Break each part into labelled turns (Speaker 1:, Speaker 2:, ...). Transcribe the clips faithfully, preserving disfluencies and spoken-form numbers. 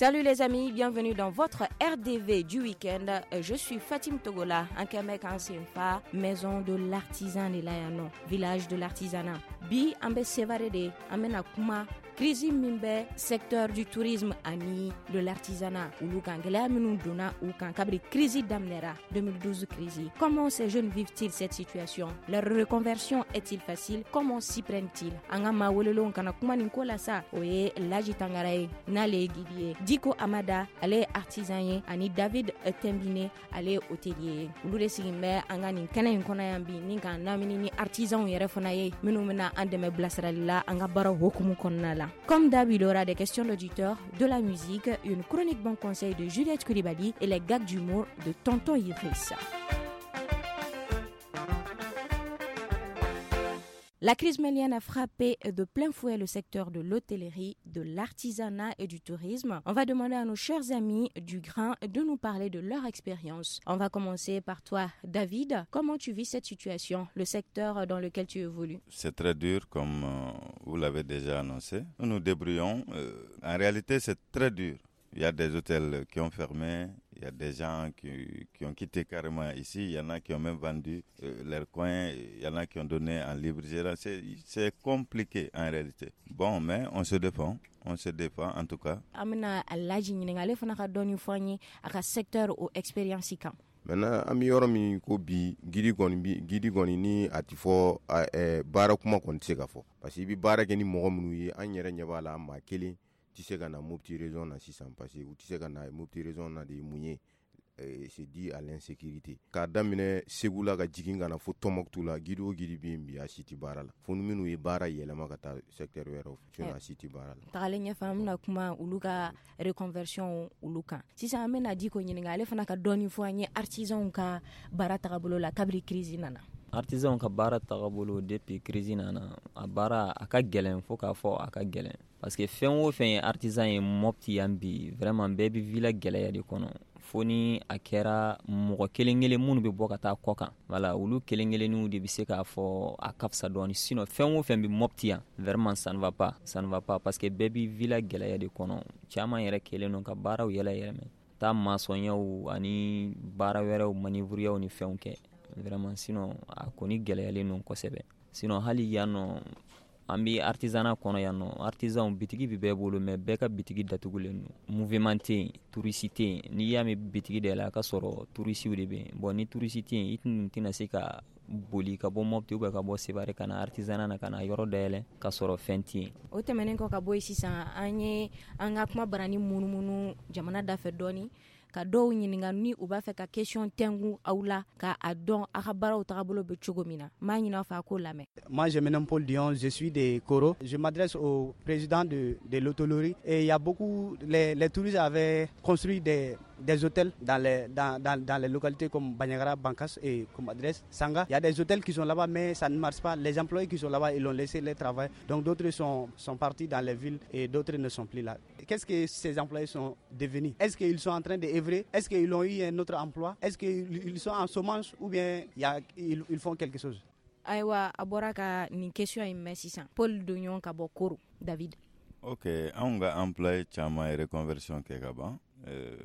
Speaker 1: Salut les amis, bienvenue dans votre R D V du week-end. Je suis Fatim Togola, an kɛmɛ k'an senfa maison de l'artisan de la yan nɔ, village de l'artisanat. Bi an bɛ Sevare de, an bɛna kuma crise min bɛ secteur du tourisme ani de l'artisanat olu kan, gɛlɛya minnu donna u kan kabiri crise daminɛra, deux mille douze crise. Comment ces jeunes vivent-ils cette situation? Leur reconversion est-il facile? Comment s'y prennent-ils? An ka maa welelenw kana kuma nin ko la sa, o ye Laji Tangara ye, n'ale ye guide ye, Diko Amada, ale ye artisan ye, ani David Tembine, ale ye hôtelier ye. Olu de sigin bɛ an ka nin kɛnɛ in kɔnɔ yan bi ni k'an lamini ni artisanw yɛrɛ fana ye, minnu bɛna an dɛmɛ bilasirali la an ka baaraw hokumu kɔnɔna la. Comme d'hab, il y aura des questions d'auditeurs, de la musique, une chronique bon conseil de Juliette Coulibaly et les gags d'humour de Tonton Idriss. La crise malienne a frappé de plein fouet le secteur de l'hôtellerie, de l'artisanat et du tourisme. On va demander à nos chers amis du grain de nous parler de leur expérience. On va commencer par toi, David. Comment tu vis cette situation, le secteur dans lequel tu évolues?
Speaker 2: C'est très dur, comme euh, vous l'avez déjà annoncé. Nous nous débrouillons. Euh, en réalité, c'est très dur. Il y a des hôtels qui ont fermé, il y a des gens qui, qui ont quitté carrément ici, il y en a qui ont même vendu euh, leur coin, il y en a qui ont donné en libre gérance. C'est compliqué en réalité. Bon, mais on se défend, on se défend en tout cas.
Speaker 1: An bɛna Laji ɲininka, ale fana ka dɔɔni fɔ an ye a ka secteur o expérience kan.
Speaker 3: Maintenant, an bɛ yɔrɔ min ko bi, guide kɔni bi, guide kɔni ni a ti fɔ ɛɛ baara kuma kɔni tɛ se ka fɔ, parce que i bɛ baara kɛ ni mɔgɔ minnu ye, an yɛrɛ ɲɛ b'a la, maa kelen tɛ se ka na Mopti région na sisan, parce que u tɛ se ka na Mopti région na de ye mun ye? C'est dû à l'insécurité. K'a daminɛ Segu la ka jigin ka na fo Tɔnbɔkutu la, guide o guide bɛ yen bi, a si tɛ baara la, fo ni minnu ye baara yɛlɛma ka taa secteur wɛrɛw fɛ, sinon a si tɛ baara la.
Speaker 1: Tagalen ɲɛfɛ, an bɛna kuma olu ka reconversion olu kan. Sisan an bɛna Diko ɲininka, ale fana ka dɔɔni fɔ an ye artisanw ka baara tagabolo la kabiri crise nana.
Speaker 4: Artisanw ka baara tagabolo depuis crise nana, a baara a ka gɛlɛn, fo k'a fɔ a ka gɛlɛn, parce que fɛn o fɛn ye artisan ye Mopti yan bi, vraiment bɛɛ bɛ vila gɛlɛya de kɔnɔ, fo ni a kɛra mɔgɔ kelen kelen minnu bɛ bɔ ka taa kɔ kan. Voilà, olu kelen kelenninw de bɛ se k'a fɔ a ka fisa dɔɔni. Sinon fɛn o fɛn bɛ Mopti yan, vraiment ça ne va pas, ça ne va pas, parce que bɛɛ bɛ vila gɛlɛya de kɔnɔ. Caman yɛrɛ kɛlen don ka baaraw yɛlɛ yɛlɛmɛ, taa maçonyaw ani baara wɛrɛw, manœuvreyaw ni fɛnw kɛ vraiment. Sinon a kɔni gɛlɛyalen don kosɛbɛ. Sinon hali yan nɔ, an bɛ artisanat kɔnɔ yan nɔ, artisanw bitigi bɛ bɛɛ bolo, mais bɛɛ ka bitigi datugulen don. Mouvement tɛ yen, touriste tɛ yen. N'i y'a mɛn bitigi dayɛlɛ, a ka sɔrɔ touristew de bɛ yen. Bon, ni touriste tɛ yen, i tɛna se ka boli ka bɔ Mopti ou bien ka bɔ Sevare ka na artisanat na, ka na yɔrɔ dayɛlɛ ka sɔrɔ fɛn tɛ yen.
Speaker 1: O tɛmɛnen kɔ ka bɔ yen, sisan an ye an ka kuma barani munumunu jamana dafɛ dɔɔni, ka dɔw ɲininka ni u b'a fɛ ka question tɛngu aw la, ka a dɔn aw ka baaraw tagabolo bɛ cogo min na. N b'a ɲini aw fɛ a k'o lamɛn.
Speaker 5: Moi, je me nomme Paul Dion, je suis de Koro. Je m'adresse au président de, de l'hôtellerie. Et il y a beaucoup, les, les touristes avaient construit des, des hôtels dans les, dans, dans, dans les localités comme Bandiagara, Bankass et comme adresse Sangha. Il y a des hôtels qui sont là-bas, mais ça ne marche pas. Les employés qui sont là-bas, ils ont laissé le travail. Donc d'autres sont, sont partis dans les villes et d'autres ne sont plus là. Qu'est-ce que ces employés sont devenus? Est-ce qu'ils sont en train d'œuvrer? Est-ce qu'ils ont eu un autre emploi? Est-ce qu'ils sont en chômage ou bien il y a, ils, ils font quelque chose?
Speaker 1: Ayiwa, a bɔra ka nin question in mɛn sisan, Paul Donɲɔn ka bɔ Koro. David.
Speaker 2: Ok, anw ka employé caman ye reconversion kɛ ka ban. euh,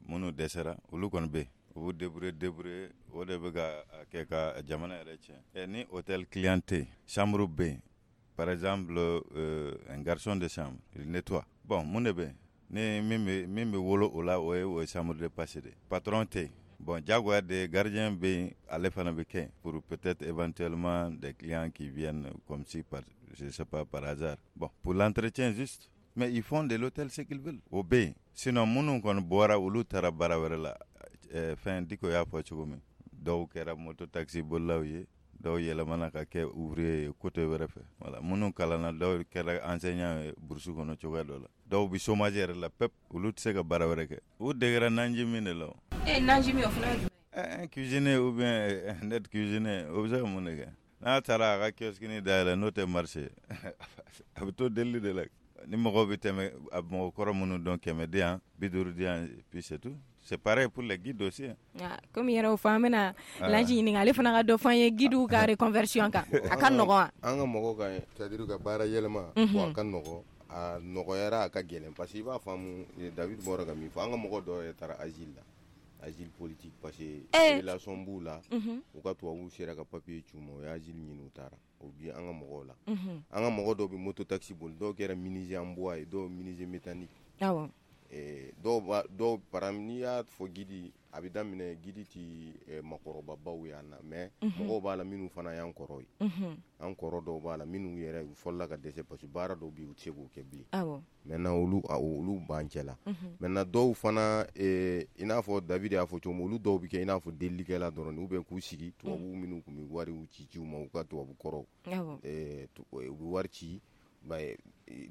Speaker 2: minnu dɛsɛra, olu kɔni bɛ yen, u b'u débrouiller débrouiller, o de bɛ ka a kɛ ka jamana yɛrɛ tiɲɛ. Ni hôtel client tɛ yen, chambre bɛ yen, par exemple euh, un garçon de chambre, il nettoie. Bon, mun de bɛ yen ni min bɛ min bɛ wolo o la? O ye o ye chambre de passe de patron tɛ yen. Bon, jagoya de gardien bɛ yen, ale fana bɛ kɛ pour peut-être éventuellement des clients qui viennent comme si par, je sais pas, par hasard, bon, pour l'entretien juste, mais ils font de l'hôtel ce qu'ils veulent. O bɛ yen. Sinon minnu kɔni bɔra, olu taara baara wɛrɛ la. ɛɛ fɛn Diko y'a fɔ cogo min, dɔw kɛra moto taxi bolilaw ye, dɔw yɛlɛmana ka kɛ ouvrier ye côté wɛrɛ fɛ. Voilà, minnu kalanna, dɔw kɛra enseignant ye brousse kɔnɔ cogoya dɔ la, dɔw bi chômage yɛrɛ la pep, olu tɛ se ka baara wɛrɛ kɛ, u degera nanji min de la o.
Speaker 1: E, nanji min, o fana ye jumɛn
Speaker 2: ye? Un cuisinier ou bien un aide cuisinier, o bɛ se ka mun de kɛ n'a taara a ka kiosque dayɛlɛ n'o tɛ marché? A bɛ to delili de la ni mɔgɔw bɛ tɛmɛ, a mɔgɔ kɔrɔ minnu dɔn, kɛmɛ di yan, bi duuru di yan, puis c'est tout. C'est pareil pour les guides aussi, hein.
Speaker 1: Ah, komi yɛrɛ o fɔ, an bɛna Laji ɲininka, ale fana ka dɔ fɔ an ye guidew ka reconversion kan. A ka nɔgɔn wa?
Speaker 3: An ka mɔgɔw ka, c'est à dire ka baara yɛlɛma, bon, a ka nɔgɔn. a nɔgɔyara, a ka gɛlɛn, parce que i b'a faamu, David bɔra ka min fɔ, an ka mɔgɔ dɔw yɛrɛ taara asile la, asile politique, parce que relation b'u la, u ka tubabuw sera ka papier ci u ma, u ye asile ɲini, u taara. O bi an ka mɔgɔw la. An ka mɔgɔ dɔw bɛ moto taxi boli, dɔw kɛra menuisier en bois ye, dɔw menuisier métallique.
Speaker 1: Awɔ.
Speaker 3: Dɔw b'a dɔw, par exemple, n'i y'a fɔ guide, a bɛ daminɛ guide ti makɔrɔbabaw ye an na, mais mɔgɔw b'a la minnu fana y'an kɔrɔ ye. An kɔrɔ dɔw b'a la minnu yɛrɛ u fɔlɔla ka dɛsɛ, parce que baara dɔw bɛ yen, u tɛ se k'o kɛ bilen.
Speaker 1: Awɔ.
Speaker 3: Maintenant olu olu b'an cɛ la. Maintenant dɔw fana, i n'a fɔ David y'a fɔ cogo min, olu dɔw bɛ kɛ i n'a fɔ delilikɛla dɔrɔn, ou bien k'u sigi tubabuw minnu tun bɛ wariw ci ci u ma, u ka tubabu kɔrɔw.
Speaker 1: Awɔ.
Speaker 3: U bɛ wari ci.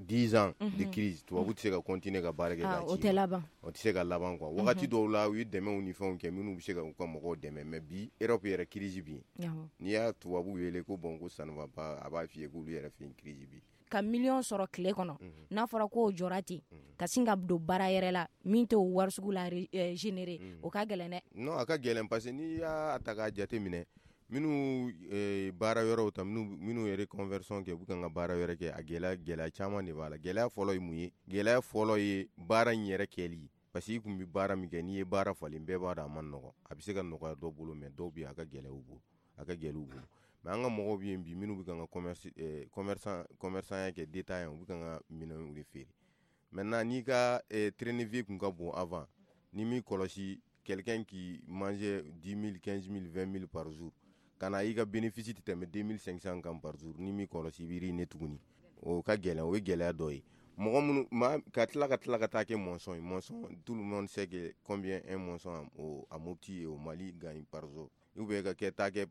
Speaker 3: dix ans de crise, tubabu tɛ se ka continuer ka baara kɛ k'a ci.
Speaker 1: O tɛ laban.
Speaker 3: O tɛ se ka laban quoi. Wagati dɔw la u ye dɛmɛw ni fɛnw kɛ minnu bɛ se ka u ka mɔgɔw dɛmɛ, mais bi Europe yɛrɛ crise bɛ yen. N'i y'a tubabu wele ko bon ko ça ne va pas, a b'a f'i ye k'olu yɛrɛ fɛ yen crise bɛ yen.
Speaker 1: Ka miliyɔn sɔrɔ tile kɔnɔ, n'a fɔra k'o jɔra ten, ka sin ka don baara yɛrɛ la min t'o wari sugu la générer, o ka gɛlɛn dɛ.
Speaker 3: Non, a ka gɛlɛn, parce que n'i y'a ta k'a jate minɛ, minnu baara yɔrɔw ta, minnu yɛrɛ conversion kɛ, u bɛ kan ka baara wɛrɛ kɛ, a gɛlɛya gɛlɛya caman de b'a la. Gɛlɛya fɔlɔ ye mun ye? Gɛlɛya fɔlɔ ye baara in yɛrɛ kɛli, parce que i kun bɛ baara min kɛ, n'i ye baara falen, bɛɛ b'a dɔn a man nɔgɔn. A bɛ se ka nɔgɔya dɔw bolo, mais dɔw bɛ yen, a ka gɛlɛn u bolo, a ka gɛlɛn u bolo. Mais an ka mɔgɔw bɛ yen bi minnu bɛ kan ka commerce commerçant commerçant kɛ détaillant, u bɛ kan ka minɛnw de feere. Maintenant n'i ka train de vie kun ka bon avant, ni m'i kɔlɔsi, quelqu'un qui mangeait dix mille, quinze mille, vingt mille par jour, ka na i ka bénéfice tɛ tɛmɛ deux mille cinq cents kan par jour, ni m'i kɔlɔsi i b'i ruiner tuguni. O ka gɛlɛn, o ye gɛlɛya dɔ ye. Mɔgɔ minnu maa ka tila ka tila ka taa kɛ maçon ye, maçon, tout le monde sait que combien un maçon au à Mopti et au Mali gagne par jour. Ou bien ka kɛ taa kɛ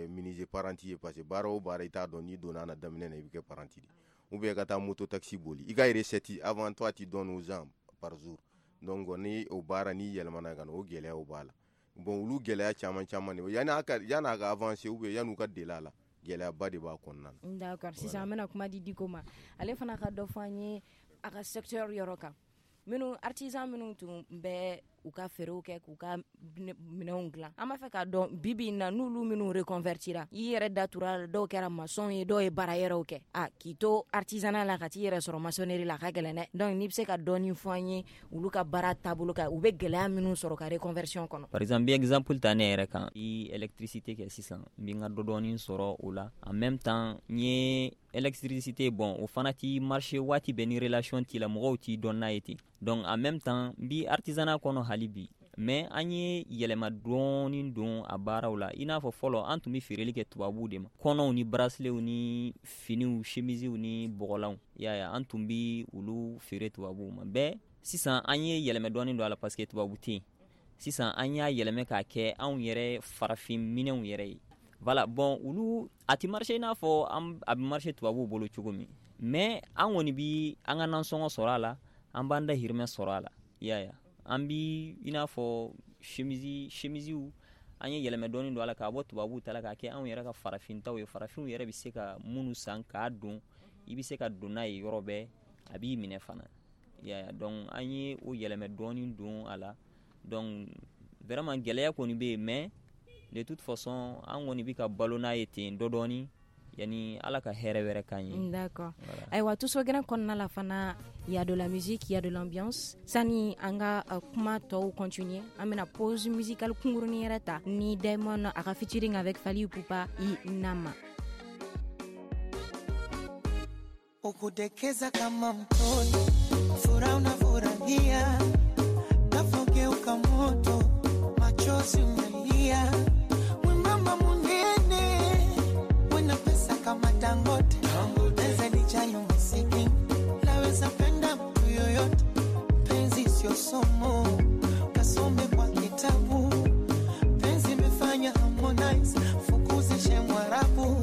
Speaker 3: menuisier apprenti ye, parce que baara o baara i t'a dɔn, n'i donna a na daminɛ na i bɛ kɛ apprenti de. Ou bien ka taa moto taxi boli, i ka recette avant toi tu donnes aux gens par jour. Donc ni o baara n'i yɛlɛmana ka na, o gɛlɛyaw b'a la. Bon, olu gɛlɛya caman caman de yanni a ka yanni a ka avancer, ou bien yanni u ka deli a la, gɛlɛyaba de b'a kɔnɔna
Speaker 1: na. D'accord, sisan an bɛna kuma di Diko ma, ale fana ka dɔ fɔ an ye a ka secteur yɔrɔ kan. Minnu artisan minnu tun bɛ u ka feerew kɛ k'u ka minɛnw dilan, an b'a fɛ k'a dɔn bi bi in na n'olu minnu reconvertira, i yɛrɛ datura, dɔw kɛra maçon ye, dɔw ye baara yɛrɛw kɛ, a k'i to artisanat la ka t'i yɛrɛ sɔrɔ maçonnerie la, a ka gɛlɛn dɛ. Donc n'i bɛ se ka dɔɔni fɔ an ye olu ka baara taabolo kan, u bɛ gɛlɛya minnu sɔrɔ ka reconversion kɔnɔ.
Speaker 4: Par exemple, n bɛ exemple ta ne yɛrɛ kan, i électricité kɛ sisan, n bɛ n ka dɔ dɔɔni sɔrɔ o la. En même temps n ye électricité, bon, o fana ti marché waati bɛɛ, ni relation t'i la, mɔgɔw t'i dɔn n'a ye ten. Donc en même temps n bi artisanat kɔnɔ hali bi, mais an ye yɛlɛma dɔɔni don a baaraw la. I n'a fɔ fɔlɔ an tun bɛ feereli kɛ tubabuw de ma, kɔnɔw ni braceletw ni finiw, chemisiw ni bɔgɔlanw, i y'a ye, an tun bi olu feere tubabuw ma. Bɛɛ sisan an ye yɛlɛmɛ dɔɔni don a la, parce que tubabu tɛ yen. Sisan an y'a yɛlɛmɛ k'a kɛ anw yɛrɛ farafin minɛnw yɛrɛ ye. Voilà, bon, olu a ti marché i n'a fɔ a bɛ marché tubabuw bolo cogo min, mais an kɔni bi an ka nasɔngɔ sɔrɔ a la, an b'an dahirimɛ sɔrɔ a la, i y'a ye. An bi i n'a fɔ chemise chemisiw, an ye yɛlɛmɛ dɔɔni don a la k'a bɔ tubabuw ta la k'a kɛ anw yɛrɛ ka farafintaw ye, farafinw yɛrɛ bɛ se ka minnu san k'a don, i bɛ se ka don n'a ye yɔrɔ bɛɛ, a b'i minɛ fana, i y'a ye. Donc an ye o yɛlɛmɛ dɔɔni don a la. Donc vraiment gɛlɛya kɔni bɛ yen, mais de toute façon an kɔni bɛ ka balo n'a ye ten dɔ dɔɔni yani Ala ka hɛrɛ wɛrɛ k'an ye.
Speaker 1: D'accord. Ayiwa, Tusogɛrɛn kɔnɔna la fana, il y a de la musique, il y a de l'ambiance. Sani an ka kuma tɔw continuer, an bɛna pause musicale kunkurunin yɛrɛ ta ni Diamond a ka featuring avec Fally Ipupa, i Nama.
Speaker 6: Ukudekeza kama mtoto, furaha unafurahia, nafogeuka moto, machozi unalia, mwembamba munene, wena pesa kama Dangote, penzi lijali umasikini, laweza penda mtu yoyote, penzi sio somo, kasome kwa kitabu, penzi imefanya Harmonize, fukuzishe Mwarabu,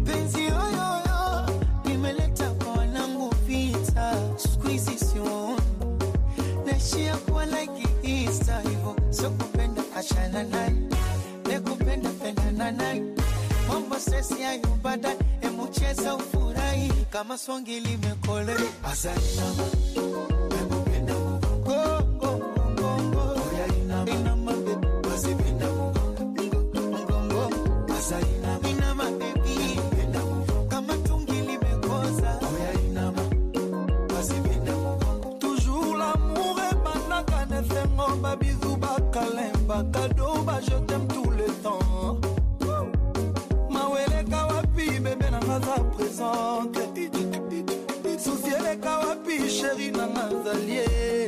Speaker 6: penzi yoyoyo, nimeleta kwa wanangu vita, siku hizi siwaoni, naishia kuwa like Easter, hivo sio kupenda achana naye, nekupenda pendana naye, mambo sesi hayo baadaye, emu cheza ufurahi kama songi limekolea. Azainama penda mgongo mgongo, oya inama baby, basi penda mgongo mgongo, azainama inama baby, penda mgongo kama tungi limekoza, oya inama Ba cadeau, ba je t'aime tout le temps. Mawele kawapi, bébé nanga za présente. Souci ele kawapi, chéri nanga zalie.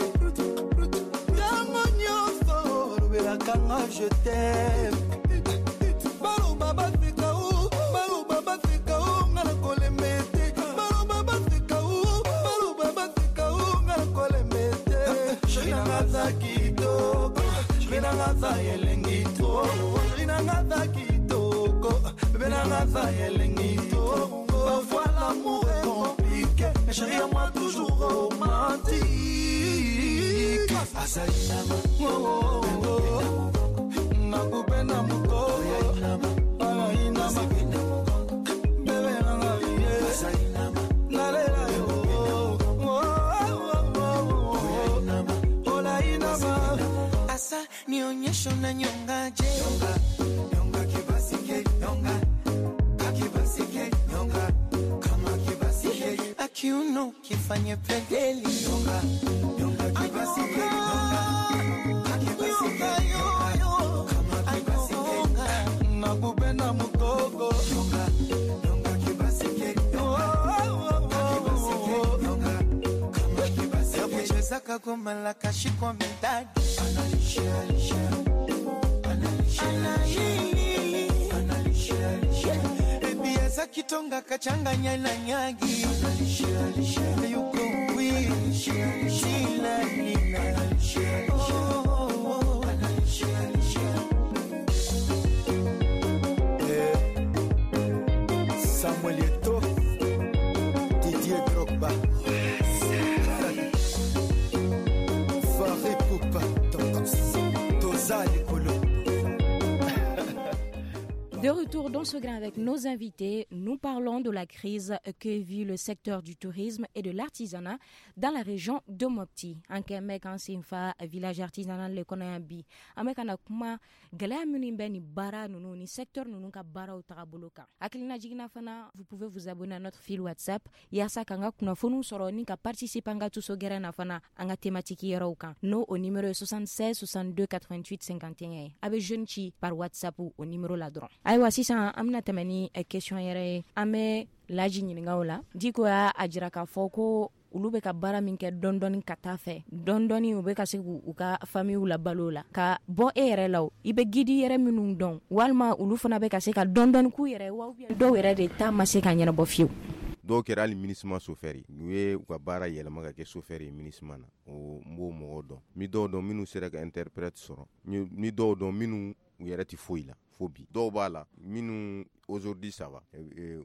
Speaker 6: Tango nyonso, lobelaka nga je t'aime. Baloba baseka o, baloba baseka o, nga na kolemba te. Baloba baseka o, baloba baseka o, nga na kolemba te. Chéri nanga za kitoko, chéri nanga za elengi to. Chéri nanga za kitoko, bébé nanga za elengi to. Parfois l'amour est compliqué, mais chéri à moi toujours romantique. Asainama, oh oh oh, nakupenda mukoko. Asainama, bébé nanga ye. Asainama, nalela yo. Oh oh oh, olainama.
Speaker 7: Asa nionyeshe unanyongaje. Nyonga, nyonga kibasike, nyonga. Kakibasike, nyonga. Kama kibasike. Akiuno kifanye pedeli. Nyonga, nyonga kibasike, nyonga. Kakibasike, nyonga. Kama kibasike.
Speaker 6: Nakupenda mukoko.
Speaker 7: Nyonga, nyonga kibasike, nyonga. Kakibasike, nyonga. Kama kibasike. Kucheza kagoma la kashikwa medadi. Analisha, alisha. Analisha, alisha. Analisha, baby aza kitonga kachanganya na nyagi. Analisha, alisha. Yuko wi. Analisha, alisha. Analisha, alisha. Oh, oh, analisha, alisha.
Speaker 6: Eh, Samuel Eto'o, Didier Drogba. Faré Poupa, Toza Likolo.
Speaker 1: De retour dans ce grain avec nos invités, nous parlons de la crise que vit le secteur du tourisme et de l'artisanat dans la région de Mopti. An kɛ bɛ k'an senfa village artisanal le kɔnɔ yan bi. An bɛ ka na kuma gɛlɛya minnu bɛ nin baara ninnu ni secteur ninnu ka baaraw tagabolo kan. Hakilina jiginna fana, vous pouvez vous abonner à notre fil WhatsApp yaasa k'an ka kunnafoniw sɔrɔ ni ka participer an ka tuso gɛrɛn na fana an ka thématique yɔrɔw kan. N'o o numéro ye soixante-seize soixante-deux quatre-vingt-huit cinquante et un ye. A bɛ jeune ci par WhatsApp o numéro la dɔrɔn. Ayiwa sisan an bɛna tɛmɛ ni question yɛrɛ ye. An bɛ Laji ɲininka o la. Diko y'a jira k'a fɔ ko olu bɛ ka baara min kɛ dɔɔni dɔɔni ka taa fɛ dɔɔni dɔɔni u bɛ ka se k'u ka famille labalo la. Ka bɔ e yɛrɛ la o, i bɛ guide yɛrɛ minnu dɔn walima olu fana bɛ ka se ka dɔɔni dɔɔni k'u yɛrɛ wa dɔw yɛrɛ de ta ma se ka ɲɛnabɔ fiyewu.
Speaker 3: Dɔw kɛra hali MINUSMA chauffeur ye, u ye u ka baara yɛlɛma ka kɛ chauffeur ye MINUSMA na. O n b'o mɔgɔw dɔn. N bɛ dɔw dɔn minnu sera ka interprète sɔrɔ. N bɛ dɔw dɔn minnu u yɛrɛ tɛ foyi la fo bi. Dɔw b'a la minnu aujourd'hui ça va,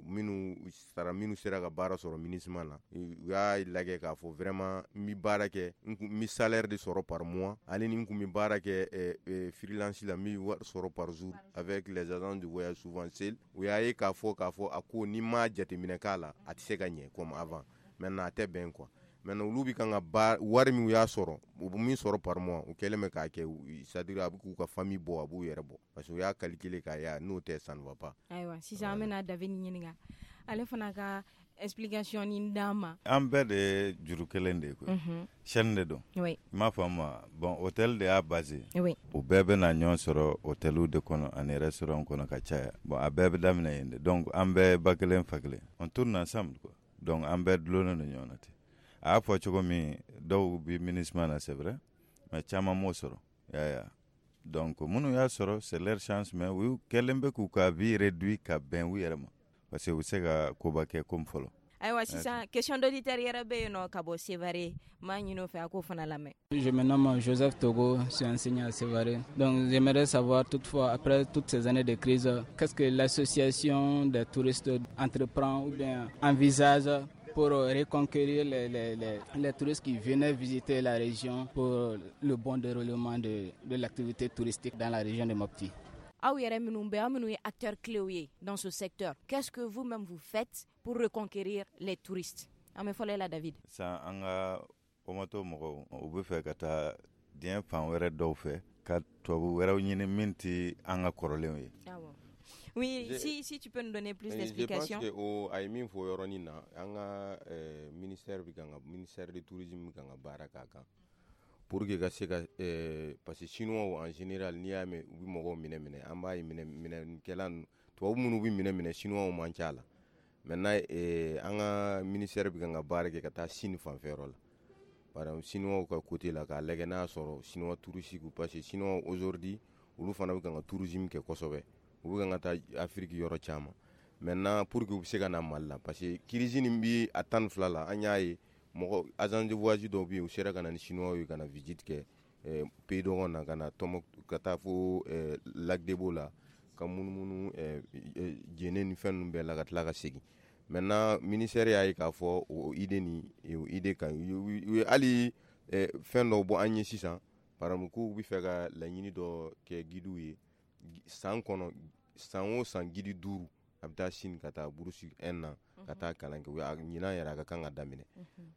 Speaker 3: minnu sara minnu sera ka baara sɔrɔ MINUSMA na, u y'a lajɛ k'a fɔ vraiment n bɛ baara kɛ, n bɛ salaire de sɔrɔ par mois, ale ni n kun bɛ baara kɛ freelance la, n bɛ wari sɔrɔ par jour avec les agents de voyage souvent sel. U y'a ye k'a fɔ k'a fɔ a ko n'i ma jateminɛ k'a la a tɛ se ka ɲɛ comme avant. Maintenant a tɛ bɛn quoi. Maintenant olu bɛ kan ka baara wari min u y'a sɔrɔ, u bɛ min sɔrɔ par mois, u kɛlen bɛ k'a kɛ, c'est à dire a bɛ k'u ka famille bɔ, a b'u yɛrɛ bɔ parce que u y'a calculer k'a ye n'o tɛ ça ne va pas.
Speaker 1: Ayiwa sisan an bɛna David ɲininka ale fana ka explication ni d'an ma.
Speaker 2: An bɛɛ de ye juru kelen de ye koyi. Chaîne de don.
Speaker 1: Oui.
Speaker 2: I m'a faamu wa? Bon hôtel de y'a base.
Speaker 1: Oui.
Speaker 2: U bɛɛ bɛ na ɲɔgɔn sɔrɔ hôteliw de kɔnɔ ani restaurant kɔnɔ ka caya. Bon a bɛɛ bɛ daminɛ yen de. Donc an bɛɛ ba kelen fa kelen. On tourne ensemble quoi. Donc an bɛɛ dulonnen don ɲɔgɔn na ten. A y'a fɔ cogo min dɔw bɛ MINUSMA na c'est vrai, mais caman m'o sɔrɔ. Ya ya. Donc minnu y'a sɔrɔ c'est leur chance, mais u kɛlen bɛ k'u ka vie réduit ka bɛn u yɛrɛ ma parce que u bɛ se ka koba kɛ comme fɔlɔ.
Speaker 1: Ayiwa sisan question d'auditeur yɛrɛ bɛ yen nɔ ka bɔ Sévaré, m'a ɲini o fɛ a k'o fana lamɛn.
Speaker 8: Je me nomme Joseph Togo, je suis enseignant à Sévaré. Donc j'aimerais savoir toutefois, après toutes ces années de crise, qu'est-ce que l'association des touristes entreprend ou bien envisage pour reconquérir les, les, les, les touristes qui venaient visiter la région pour le bon déroulement de, de l'activité touristique dans la région de Mopti.
Speaker 1: Aw yɛrɛ minnu bɛ aw minnu ye acteurs clés ye dans ce secteur, qu'est-ce que vous-même vous faites pour reconquérir les touristes? An bɛ fɔlɔ e la David.
Speaker 2: Sisan an ka Omoto mɔgɔw u bɛ fɛ ka taa diɲɛ fan wɛrɛ dɔw fɛ ka tubabu wɛrɛw ɲini min tɛ an ka kɔrɔlenw ye.
Speaker 1: Awɔ. Oui,
Speaker 3: je,
Speaker 1: si, si tu peux nous donner plus d'explications.
Speaker 3: Je pense que o a ye min fɔ yɔrɔnin na, an ka ministère bɛ kan ka ministère de tourisme bɛ kan ka baara k'a kan. Pour que ka se ka eh, parce que chinois en général n'i y'a mɛn u bɛ mɔgɔw minɛ minɛ an b'a ye minɛ minɛkɛla ninnu tubabu minnu bɛ minɛ minɛ chinois man ca la. Maintenant eh, an ka ministère bɛ kan ka baara kɛ ka taa Chine fanfɛyɔrɔ la. Par exemple chinois ka côté la k'a lajɛ n'a y'a sɔrɔ chinois touristes, parce que chinois aujourd'hui olu fana bɛ kan ka tourisme kɛ kosɛbɛ, u bɛ kan ka taa Afrique yɔrɔ caman. Maintenant pour que u bɛ se ka na Mali la, parce que crise nin bi a tan ni fila la, an y'a ye mɔgɔ agence de voyage dɔw bɛ yen, u sera ka na ni chinois ye ka na visite kɛ eh, pays dɔgɔn na, ka na Tɔnbɔkutu, ka taa fo eh, Lac de Bo la, ka munumunu eh, eh, Jɛnɛ ni fɛn ninnu bɛɛ la, ka tila ka segin. Maintenant ministère y'a ye k'a fɔ o idée nin, o idée ka ɲi. U ye hali eh, fɛn dɔw bɔ an ye sisan, par exemple k'u bɛ fɛ ka laɲini dɔ kɛ guidew ye san kɔnɔ, san o san guide duuru a bɛ taa Chine ka taa bourse un an ka taa kalan kɛ. U y'a ɲinan yɛrɛ a ka kan ka daminɛ,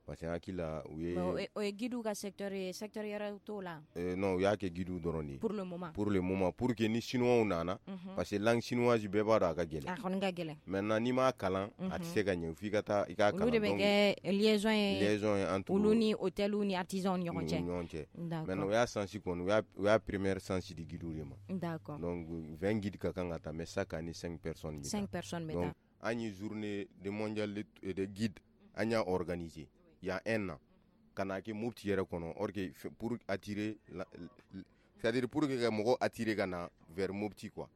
Speaker 3: parce que n hakili la u ye
Speaker 1: o ye guidew ka secteur ye, secteur yɛrɛ t'o la.
Speaker 3: Eh, non, u y'a kɛ guidew dɔrɔn de ye
Speaker 1: pour le moment.
Speaker 3: Pour le moment, pour que ni chinois nana, parce que langue chinoise bɛɛ b'a dɔn a ka gɛlɛn.
Speaker 1: A kɔni ka gɛlɛn.
Speaker 3: Maintenant n'i m'a kalan a tɛ se ka ɲɛ, f'i ka taa i k'a kalan.
Speaker 1: Olu de bɛ kɛ liaison ye,
Speaker 3: liaison ye entre
Speaker 1: olu ni hôtel ni artisans ni ɲɔgɔn cɛ.
Speaker 3: Ni ɲɔgɔn cɛ. Maintenant u y'a chance kɔni, u y'a u y'a première chance di guidew de ma.
Speaker 1: D'accord.
Speaker 3: Donc vingt guides ka kan ka taa, mais chaque année cinq personnes bɛ taa.
Speaker 1: cinq personnes bɛ taa.
Speaker 3: Donc an ye journée de mondial de, de guide an y'a organisé il y a un an ka na kɛ Mopti yɛrɛ kɔnɔ, or que pour attirer, c'est-à-dire pour que ka mɔgɔw attirer ka na vers Mopti quoi,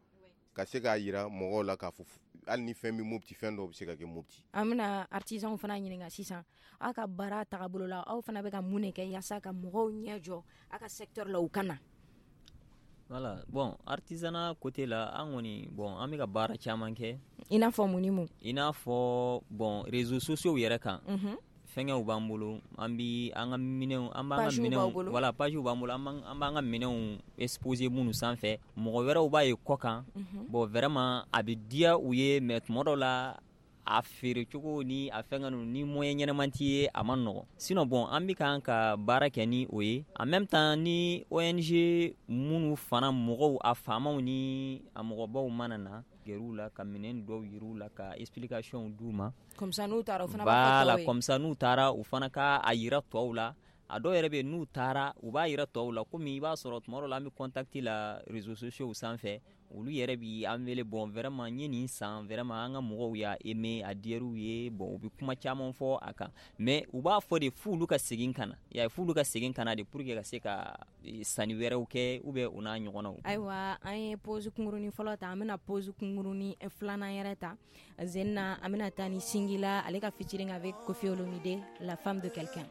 Speaker 3: ka se k'a yira mɔgɔw la k'a fɔ hali ni fɛn bɛ Mopti, fɛn dɔw bɛ se ka kɛ Mopti.
Speaker 1: An bɛna artisanw fana ɲininka sisan, aw ka baara tagabolo la, aw fana bɛ ka mun de kɛ yaasa ka mɔgɔw ɲɛ jɔ aw ka secteur la u ka na?
Speaker 4: Voilà, bon, artisanat côté la, an kɔni, bon, an bɛ ka baara caman kɛ.
Speaker 1: I n'a fɔ mun ni mun?
Speaker 4: I n'a fɔ, bon, réseaux sociaux yɛrɛ kan. Fɛngɛw b'an bolo, an bi an ka minɛnw, an b'an ka minɛnw, voilà, page b'an bolo, an b'an ka minɛnw exposer minnu sanfɛ, mɔgɔ wɛrɛw b'a ye kɔ kan. Bon, vraiment a bɛ diya u ye, mais tuma dɔw la a feere cogo ni a fɛngɛ ninnu ni moyen ɲɛnɛman t'i ye, a ma nɔgɔn. Sinon bon, an bɛ kan ka baara kɛ ni o ye. En même temps ni O N G minnu fana mɔgɔw, a faamaw ni a mɔgɔbaw mana na gɛr'u la ka minɛn dɔw yir'u la ka explication d'u ma.
Speaker 1: Comme ça n'u taara u fana b'a fɔ tɔw ye.
Speaker 4: Voilà, comme ça n'u taara u fana ka a yira tɔw la. A dɔw yɛrɛ bɛ yen n'u taara u b'a yira tɔw la, komi i b'a sɔrɔ tuma dɔw la an bɛ contact la réseaux sociaux sanfɛ, olu yɛrɛ bi an wele, bon vraiment n ye nin san, vraiment an ka mɔgɔw y'a aimé, a diyar'u ye, bon u bɛ kuma caman fɔ a kan, mais u b'a fɔ de f'olu ka segin ka na, y'a ye, f'olu ka segin ka na de pour que ka se ka sanni wɛrɛw kɛ ou bien u n'a ɲɔgɔnnaw.
Speaker 1: Ayiwa, an ye pause kunkurunin fɔlɔ ta, an bɛna pause kunkurunin filanan yɛrɛ ta. Zenna, an bɛna taa ni Singila ale ka featuring avec Koffi Olomide, La femme de quelqu'un.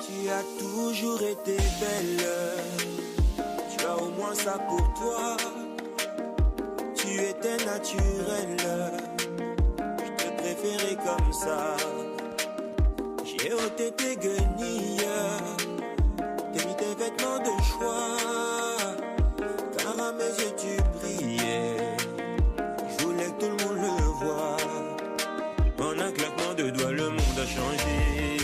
Speaker 7: Tu as toujours été belle, tu as au moins ça pour toi. Tu étais naturelle, je te préférais comme ça. J'ai ôté tes guenilles, t'ai mis tes vêtements de choix. Car à mes yeux tu brillais, je voulais que tout le monde le voie. En un claquement de doigts, le monde a changé.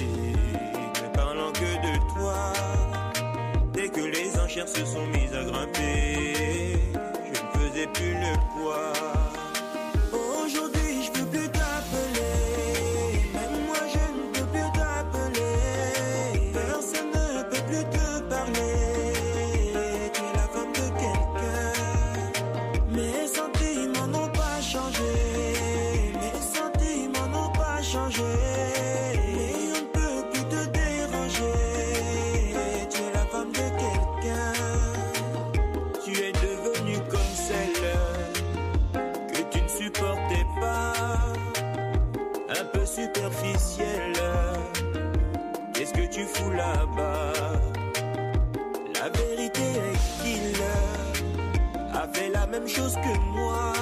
Speaker 7: Ne parlant que de toi. Dès que les enchères se sont mises à grimper, je ne faisais plus le poids. Aujourd'hui, je peux plus t'appeler. Même moi, je ne peux plus t'appeler. Personne ne peut plus te parler. Tu es la femme de quelqu'un. Mes sentiments n'ont pas changé. Mes sentiments n'ont pas changé. Et on ne peut plus te déranger. Tu es la femme de quelqu'un. Tu es devenue comme celle que tu ne supportais pas. Un peu superficielle. Qu'est-ce que tu fous là-bas? La vérité est qu'il a fait la même chose que moi.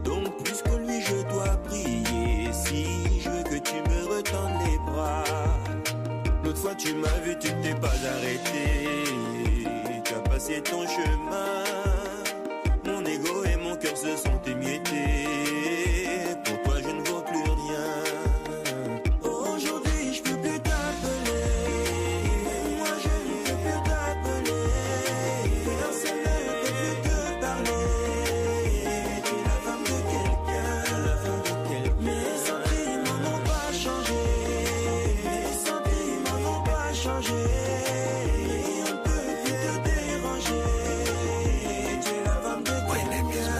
Speaker 7: Donc plus que lui je dois prier si je veux que tu me retendes les bras. L'autre fois tu m'as vu, tu ne t'es pas arrêté. Tu as passé ton chemin. Mon ego et mon cœur se sont émiettés. Pour toi je ne vaux plus rien. Aujourd'hui je peux plus t'appeler. Moi je ne peux plus t'appeler. Personne ne peut plus te parler. On ne peut plus te déranger. Tu es la femme de quelqu'un.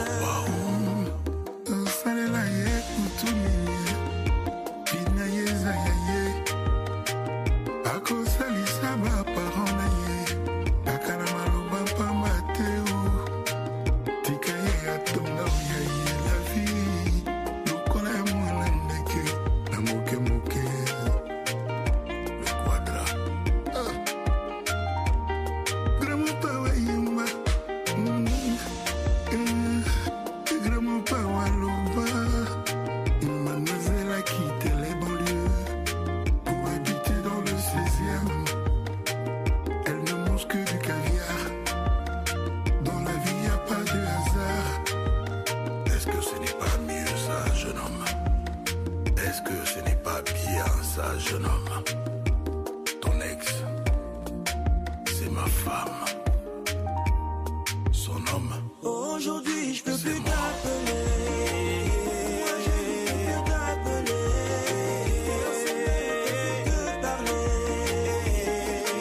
Speaker 6: Jeune homme, ton ex, c'est ma femme. Son homme.
Speaker 7: Aujourd'hui, je peux plus t'appeler. Moi, je ne peux plus t'appeler. Personne ne peut te parler.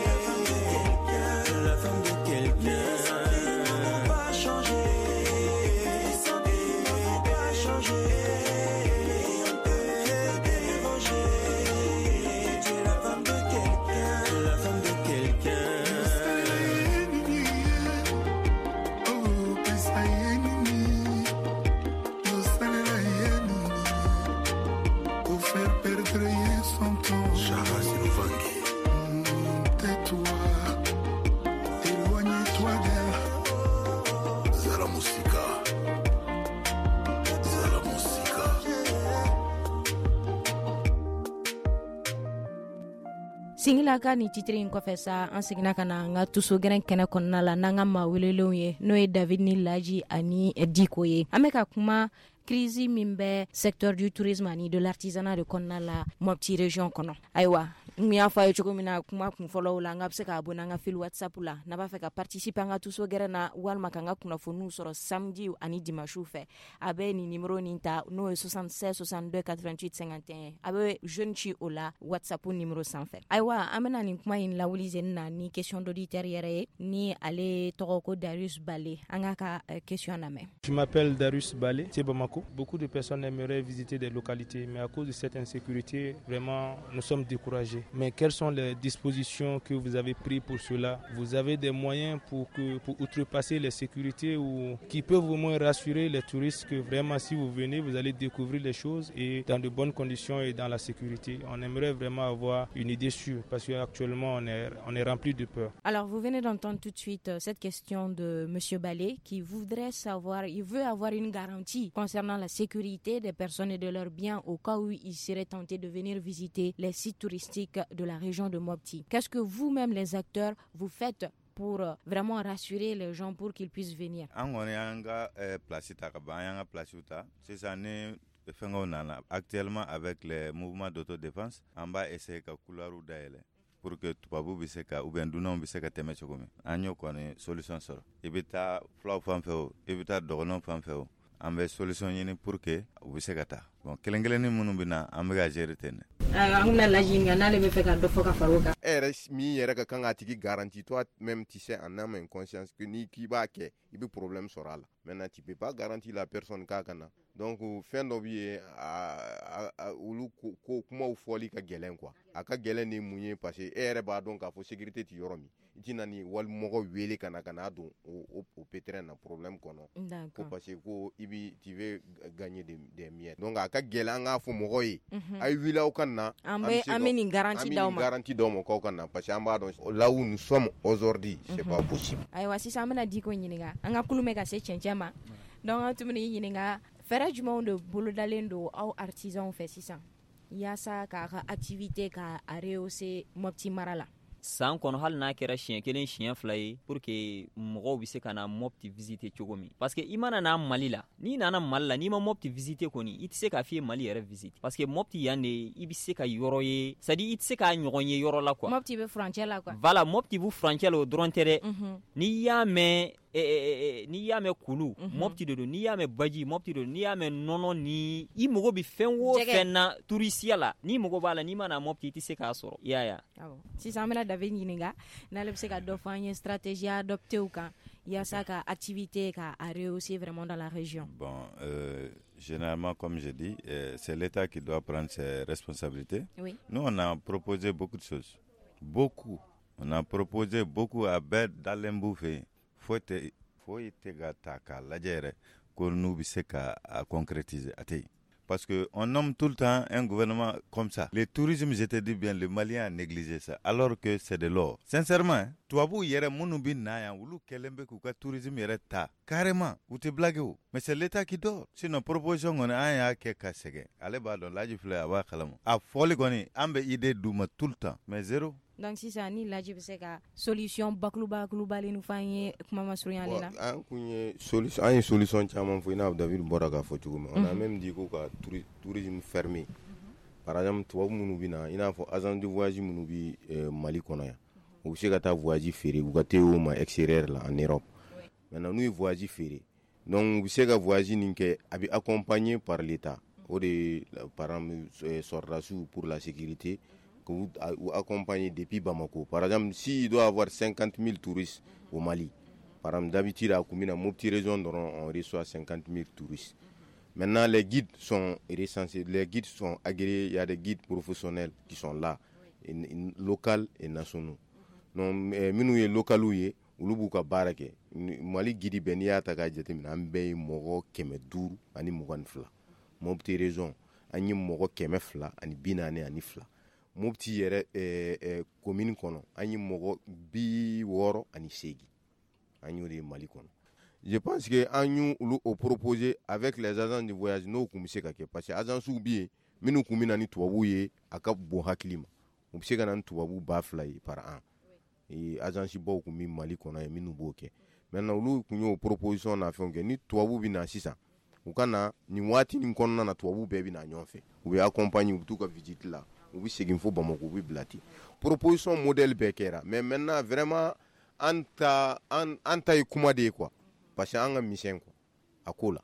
Speaker 7: La femme de quelqu'un, la femme de quelqu'un. Les sentiments n'ont pas changé. Les sentiments n'ont pas changé.
Speaker 1: Singila ka ni titiri in kɔfɛ sa, an seginna ka na an ka tuso gɛrɛn kɛnɛ kɔnɔna la n'an ka maa welelenw ye, n'o ye David ni Laji ani Diko ye. An bɛ ka kuma crise min bɛ secteur du tourisme ani de l'artisanat de kɔnɔna la Mopti région kɔnɔ. Ayiwa, n y'a fɔ a ye cogo min na kuma kun fɔlɔw la, an ka bɛ se k'a abonné an ka fil WhatsApp la n'a b'a fɛ ka participer an ka tuso gɛrɛn na walima k'an ka kunnafoniw sɔrɔ samedi ani dimanche fɛ. A bɛ nin numéro nin ta, n'o ye soixante-seize soixante-deux quatre-vingt-huit cinquante et un. A bɛ jeune ci o la WhatsApp numéro sanfɛ. Ayiwa, an bɛna nin kuma in lawuli zen na ni question d'auditeur yɛrɛ ye, ni ale tɔgɔ ko Darius Balé. An k'a ka question lamɛn.
Speaker 9: Je m'appelle Darius Balé, c'est Bamako. Beaucoup de personnes aimeraient visiter des localités, mais à cause de cette insécurité, vraiment, nous sommes découragés. Mais quelles sont les dispositions que vous avez prises pour cela? Vous avez des moyens pour, que, pour outrepasser les sécurités ou qui peuvent au moins rassurer les touristes que vraiment, si vous venez, vous allez découvrir les choses et dans de bonnes conditions et dans la sécurité. On aimerait vraiment avoir une idée sûre parce qu'actuellement, on est, on est rempli de peur.
Speaker 1: Alors, vous venez d'entendre tout de suite cette question de M. Balé qui voudrait savoir, il veut avoir une garantie concernant la sécurité des personnes et de leurs biens au cas où ils seraient tentés de venir visiter les sites touristiques de la région de Mopti. Qu'est-ce que vous-même, les acteurs, vous faites pour vraiment rassurer les gens pour qu'ils puissent venir?
Speaker 2: An kɔni y'an ka place ta ka ban, an y'an ka place ta. Sisan ni fɛngɛw nana, actuellement avec les mouvements d'autodéfense, an b'a essayer ka couloirs dayɛlɛ pour que tubabu bɛ se ka ou bien dunanw bɛ se ka tɛmɛ cogo min. An y'o kɔni solution sɔrɔ. I bɛ taa fulaw fan fɛ o, i bɛ taa dɔgɔnɔw fan fɛ o, an bɛ solution ɲini pour que u bɛ se ka taa. Bon, kelen kelennin minnu bɛ na, an bɛ ka gérer ten dɛ.
Speaker 1: An bɛna Laji ɲininka n'ale bɛ fɛ ka dɔ fɔ ka fara o kan.
Speaker 3: E yɛrɛ min yɛrɛ ka kan k'a tigi garantie, toi même tu sais en âme et conscience que n'i k'i b'a kɛ, i bɛ problème sɔrɔ a la. Maintenant tu peux pas garantir la personne k'a ka na. Donc fɛn dɔ bɛ yen, olu ko kumaw fɔli ka gɛlɛn quoi. A ka gɛlɛn ni mun ye, parce que e yɛrɛ b'a dɔn k'a fɔ sécurité tɛ yɔrɔ min. I tɛna ni walimɔgɔ wele ka na ka n'a don o o pétrin na problème kɔnɔ. Ko parce que ko i bi tu veux gagner des des miettes. Donc a ka gɛlɛn an k'a fɔ mɔgɔw ye. A ye wuli aw ka na.
Speaker 1: An bɛ an bɛ nin garantie d'aw ma. An bɛ
Speaker 3: nin garantie d'aw ma k'aw ka na, parce que an b'a dɔn là où nous sommes aujourd'hui, c'est pas possible.
Speaker 1: Ayiwa, sisan an bɛna Diko ɲininka. An ka kulu bɛ ka se cɛncɛn ma. Donc an tun bɛ n'i ɲininka fɛɛrɛ jumɛnw de bolodalen don aw artisans fɛ sisan yaasa k'a ka activité k'a rehausser Mopti mara la?
Speaker 4: San kɔnɔ, hali n'a kɛra siɲɛ kelen siɲɛ fila ye, pour que mɔgɔw bɛ se ka na Mopti visiter cogo min, parce que i mana na Mali la, n'i nana Mali la, n'i ma Mopti visiter kɔni, i tɛ se k'a f'i ye Mali yɛrɛ visiter, parce que Mopti yan de i bɛ se ka yɔrɔ ye, c'est à dire i tɛ se k'a ɲɔgɔn ye yɔrɔ la quoi.
Speaker 1: Mopti bɛ furancɛ la quoi.
Speaker 4: Voilà, Mopti bɛ furancɛ la, o dɔrɔn tɛ dɛ. N'i y'a mɛn N'i y'a mɛn kulu, Mopti de don. N'i y'a mɛn baji, Mopti de don. N'i y'a mɛn nɔnɔ, ni i mago bɛ fɛn o fɛn na touriste la, n'i mago b'a la, n'i ma na Mopti, i tɛ se k'a sɔrɔ, i y'a ye.
Speaker 1: Awɔ, sisan an bɛna David ɲininka n'ale bɛ se ka dɔ fɔ an ye stratégie adoptée kan yaasa ka activité ka a rehausser vraiment dans la région.
Speaker 2: Bon, euh, généralement, comme je dis, euh, c'est l'État qui doit prendre ses responsabilités.
Speaker 1: Oui.
Speaker 2: Nous, on a proposé beaucoup de choses. Beaucoup. On a proposé beaucoup a bɛɛ dalen b'u fɛ yen. Foyi tɛ foyi tɛ ka ta k'a lajɛ yɛrɛ ko n'u bɛ se ka a concrétiser, a tɛ yen. Parce que on nomme tout le temps un gouvernement comme ça. Le tourisme, je te dis bien, le Malien a négligé ça, alors que c'est de l'or. Sincèrement, hein, tubabuw yɛrɛ minnu bɛ na yan, olu kɛlen bɛ k'u ka tourisme yɛrɛ ta carrément, u tɛ blague o. Mais c'est l'État qui dort. Sinon, proposition kɔni, an y'a kɛ ka sɛgɛn. Ale b'a dɔn, Laji filɛ, a b'a kalama. A fɔli kɔni, an bɛ idée d'u ma tout le temps, mais zéro.
Speaker 1: Donc sisan ni Laji bɛ se ka solution bakuruba kurubalen fɔ an ye kuma masurunyalen na.
Speaker 3: An kun ye solution, an ye solution caman fɔ, i n'a fɔ David bɔra k'a fɔ cogo min. On a même dit ko ka tourisme fermé. Par exemple, tubabu minnu bɛ na, i n'a fɔ agence de voyage minnu bɛ Mali kɔnɔ yan, u bɛ se ka taa voyage feere u ka te o ma extérieur la, en Europe. Maintenant, n'u ye voyage feere, donc u bɛ se ka voyage nin kɛ, a bɛ accompagné par l'État. O de ye, par exemple, sɔrɔdasiw pour la sécurité, que vous accompagner depuis Bamako. Par exemple, s'il doit avoir cinquante mille touristes au Mali, par exemple, d'habitude, à Koumina, Mopti région, on reçoit cinquante mille touristes. Maintenant, les guides sont recensés, les guides sont agréés, il y a des guides professionnels qui sont là, locaux et nationaux. Donc, minnu ye local ye, olu b'u ka baara kɛ. Mali guide bɛɛ, n'i y'a ta k'a jateminɛ, an bɛɛ ye mɔgɔ kɛmɛ duuru ani mugan ni fila. Mopti région, an ye mɔgɔ kɛmɛ fila ani bi naani ani fila. Mopti yɛrɛ ɛɛ commune kɔnɔ, an ye mɔgɔ bi wɔɔrɔ ani seegin. An y'o de ye Mali kɔnɔ. Je pense que an y'u olu o proposer avec les agents de voyage, n'o kun bɛ se ka kɛ, parce que agence bɛ yen minnu kun bɛ na ni tubabuw ye, a ka bon hakili ma, u bɛ se ka na ni tubabu ba fila ye par an. Agence baw kun bɛ Mali kɔnɔ yen minnu b'o kɛ. Maintenant, olu kun y'o proposition n'a fɛnw kɛ. Ni tubabu bɛ na sisan, u ka na nin waati nin kɔnɔna na, tubabu bɛɛ bɛ na ɲɔgɔn fɛ, u bɛ accompagner, u bɛ t'u ka visite la, u bɛ segin fo Bamakɔ, u bɛ bila ten. Proposition modèle bɛɛ kɛra, mais maintenant, vraiment, an ta an an ta ye kuma de ye quoi, parce que an ka misɛn quoi a ko la,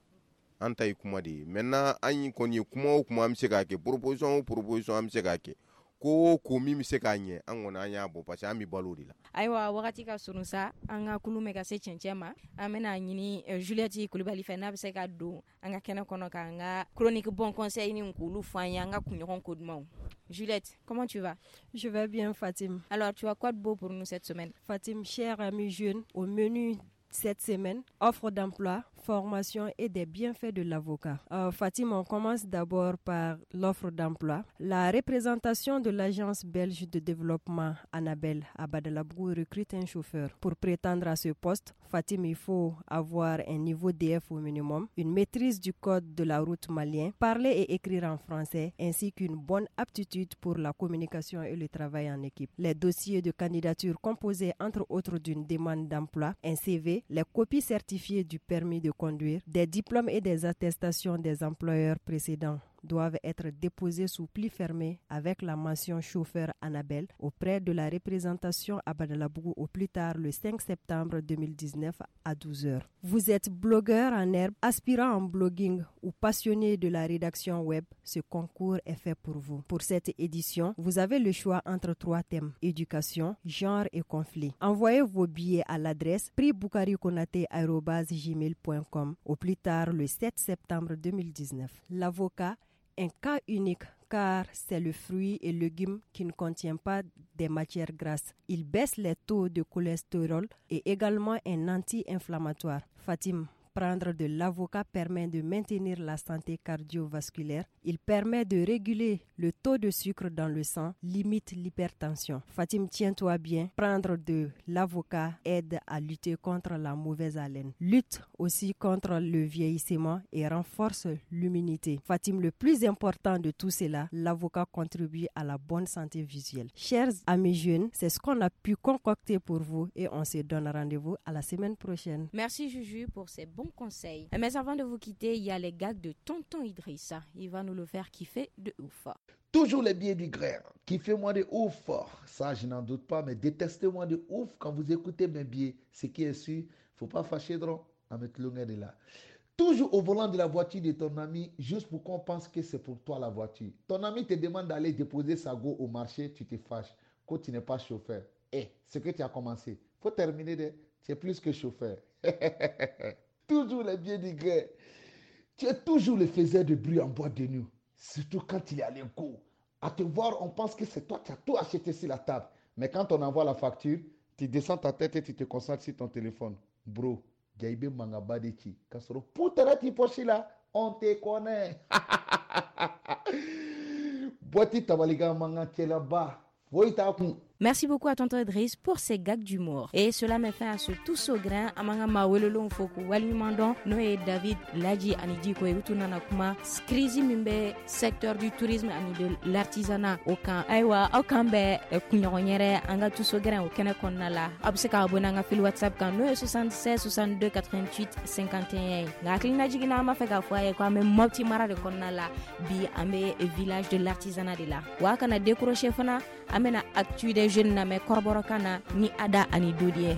Speaker 3: an ta ye kuma de ye. Maintenant, an kɔni ye kuma o kuma, an bɛ se k'a kɛ, proposition o proposition, an bɛ se k'a kɛ, ko o ko min bɛ se k'a ɲɛ, an kɔni an y'a bɔ, parce que an bɛ balo o de la.
Speaker 1: Ayiwa, wagati ka surun sa, an ka kulu bɛ ka se cɛncɛn ma. An bɛna ɲini Juliette Kulibali fɛ n'a bɛ se ka don an ka kɛnɛ kɔnɔ k'an ka chronique bon conseil ni k'olu fɔ an ye, an ka kunɲɔgɔn ko dumanw. Juliette, comment tu vas?
Speaker 10: Je vais bien, Fatim.
Speaker 1: Alors, tu as quoi de beau pour nous cette semaine?
Speaker 10: Fatim, chers amis jeunes, au menu cette semaine, offre d'emploi, formation et des bienfaits de l'avocat. Euh, Fatim, on commence d'abord par l'offre d'emploi. La représentation de l'agence belge de développement Annabel à Badalabougou recrute un chauffeur. Pour prétendre à ce poste, Fatim, il faut avoir un niveau D F au minimum, une maîtrise du code de la route malien, parler et écrire en français, ainsi qu'une bonne aptitude pour la communication et le travail en équipe. Les dossiers de candidature composés entre autres d'une demande d'emploi, un C V, les copies certifiées du permis de conduire, des diplômes et des attestations des employeurs précédents doivent être déposés sous pli fermé avec la mention chauffeur Annabel auprès de la représentation à Badalabougou au plus tard le cinq septembre deux mille dix-neuf à douze heures. Vous êtes blogueur en herbe, aspirant en blogging ou passionné de la rédaction web, ce concours est fait pour vous. Pour cette édition, vous avez le choix entre trois thèmes: éducation, genre et conflit. Envoyez vos billets à l'adresse prixboukarikonaté arobase gmail point com au plus tard le sept septembre deux mille dix-neuf. L'avocat, un cas unique car c'est le fruit et légume qui ne contient pas des matières grasses. Il baisse les taux de cholestérol et également un anti-inflammatoire. Fatim, prendre de l'avocat permet de maintenir la santé cardiovasculaire. Il permet de réguler le taux de sucre dans le sang, limite l'hypertension. Fatim, tiens-toi bien. Prendre de l'avocat aide à lutter contre la mauvaise haleine. Lutte aussi contre le vieillissement et renforce l'immunité. Fatim, le plus important de tout cela, l'avocat contribue à la bonne santé visuelle. Chers amis jeunes, c'est ce qu'on a pu concocter pour vous et on se donne rendez-vous à la semaine prochaine.
Speaker 1: Merci Juju pour ces bons bons conseils. Mais avant de vous quitter, il y a les gags de Tonton Idrissa. Il va nous le faire kiffer de ouf.
Speaker 11: Toujours les billets du gré. Kiffez-moi de ouf. Ça, je n'en doute pas, mais détestez-moi de ouf quand vous écoutez mes billets. Ce qui est sûr, faut pas fâcher drôle à mettre l'onglet de là. Toujours au volant de la voiture de ton ami, juste pour qu'on pense que c'est pour toi la voiture. Ton ami te demande d'aller déposer sa go au marché, tu te fâches. Quand tu n'es pas chauffeur. Eh, ce que tu as commencé, faut terminer de. Tu es plus que chauffeur. Toujours les biens du gré. Tu es toujours le faiseur de bruit en boîte de nuit. Surtout quand il est à l'écho. À te voir, on pense que c'est toi qui as tout acheté sur la table. Mais quand on envoie la facture, tu descends ta tête et tu te concentres sur ton téléphone. Bro, Gaïbe Mangabadeki. Kasoro, poutere ti pochi là, on te connaît. Boiti tabaliga manga là-bas.
Speaker 1: Merci beaucoup à Tonton Idriss pour ces gags d'humour. Et cela met fin à ce tous au grain. Amanga mawelolo foku walimandon no ye David Ladji ani Diko ye utu nana kuma crise min bɛ secteur du tourisme ani de l'artisanat o kan. Ayiwa aw kan bɛ kunɲɔgɔn yɛrɛ an ka tous au grain o kɛnɛ kɔnɔna la. Aw bɛ se k'a abonné an ka fil WhatsApp kan n'o ye soixante-seize soixante-deux quatre-vingt-huit cinquante et un ye. Nka hakilina jiginna an b'a fɛ k'a fɔ a ye ko an bɛ Mopti mara de kɔnɔna la. Bi an bɛ village de l'artisanat de la. Wa a kana décrocher fana, an bɛna actu des jeunes lamɛn kɔrɔbɔrɔkan na ni Ada ani Dodi ye.